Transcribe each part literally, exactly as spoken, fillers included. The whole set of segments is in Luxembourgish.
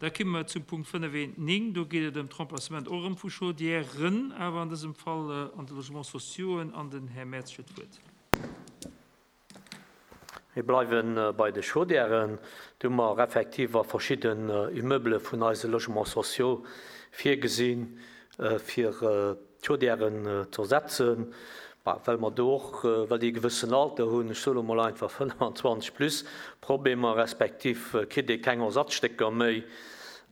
Da komme mer zum Punkt fënnef eent néng. Do geet et ëm d'Remplacement och erëm vu Chaudièren, awer an dësem Fall an de Logements sociauxen. An den Här Merz huet d'Wuert. Mir bleiwe bei de Chaudièren. Do hu mer effektiv a verschidden Immeubele vun eise Logements sociaux virgesinn, fir d'Chaudièren ze ersetzen, well mer do och, well déi e gewëssen Alter hunn, ech soe lo mol einfach fënnfanzwanzeg plus, Problemer, respektiv kritt ee keng Ersatzstécker méi.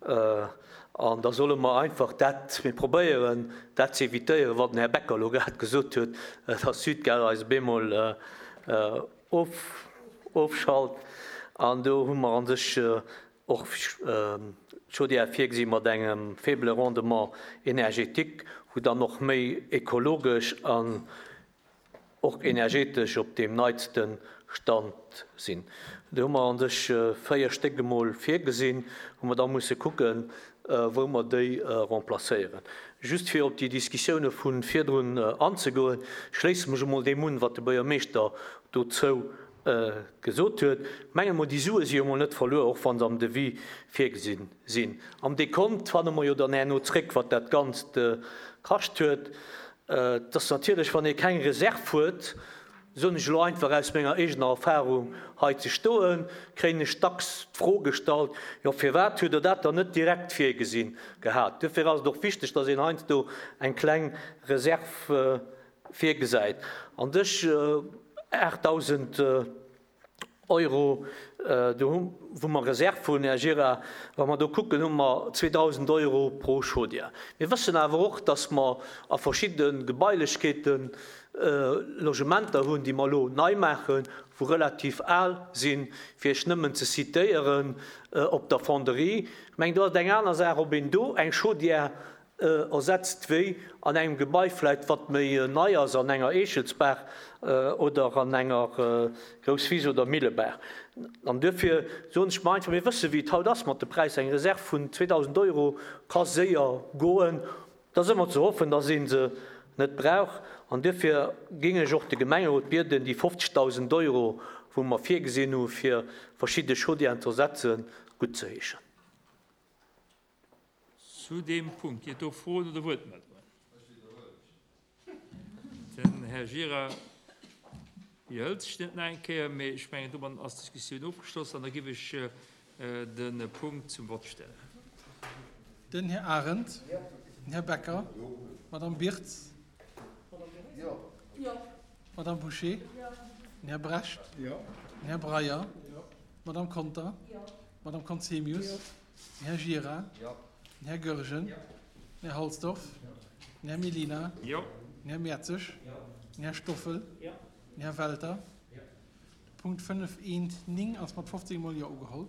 An da solle mer einfach dat, mir probéieren dat ze evitéieren, wat den Här Becker elo grad gesot huet, dass Südgaz eis op eemol ofschalt. An do hu mer a sech och d'Chaudière virgesi mat engem faible Rendement énergétique, wou dann och méi ekologesch an och energetesch op deem neitste Stand sinn. Do hu mer an sech véier Stéck emol virgesinn, wou mer da musse kucken, wou mer déi remplacéieren. Just fir op déi Diskussioune vu virdrun anzegoen, schléisse mech emol deem un, wat de Buergermeeschter dozou gesot huet. Menge mol, déi Sue si jo emol net verluer, och wa se am Devis virgesinn sinn. Am Dekont fanne mer jo dann herno zréck, wat dat Ganzt kascht huet. Et ass natierlech, wann ee keng Reserv huet, soen ech elo einfach aus menger eegener Erfahrung hei ze stoen, kréien ech dacks d'Fro gestallt, jo firwat hutt Der dat dann net direkt virgesinn gehat? Duerfir ass et och wichteg, dass een heiansdo eng kleng Reserv virgesäit. An dech aachtdausend Euro, do hu wou mer Reserv hunn, Här Gira, wa mer do kucken, hu mer zweedausend Euro pro Chaudière. Mir wëssen awer och, dass mer a verschidde Gebailechkeeten Logementer hunn, déi mer elo nei maachen, wou relativ al sinn, fir Iech nëmmen ze zitéieren, op der Fonderie. Ech mengen, do ass et eng aner Saach, ob een do eng Chaudière ersetzt wéi an engem Gebai vläicht, wat méi nei ass, an enger Eechelsbaach oder an enger Grousswiss oder Millebaach. An duerfir soen ech mer einfach, mir wësse wéi et haut ass mat de Präisser, eng Reserv vun zweedausend Euro ka séier goen. Et ass ëmmer ze hoffen, dass ee se net brauch. An duerfir géing ech och de Gemengerot bieden, déi fofzegdausend Euro, wou mer virgesinn hu fir verschidde Chaudièren ze ersetzen, guttzeheeschen. Zu deem Punkt ginn et do Froen oder Wuertmeldungen? Den Här Gira widerhëlt sech net nach eng Kéier, mee ech mengen, domat ass d'Diskussioun ofgeschloss an da géif ech de Punkt zum Vott stellen. Den Här Arendt, den Här Becker, d'Madame Birtz, d'Madame Bouché, den Här Brecht, den Här Breyer, d'Madame Conter, d'Madame Conzemius, den Här Gira, den Här Goergen, den Här Halsdorf, den Här Mellina, den Här Mertzig, den Här Stoffel, den Här Welter. De Punkt fënnef eent néng ass mat fofzéng Mol Jo ugeholl.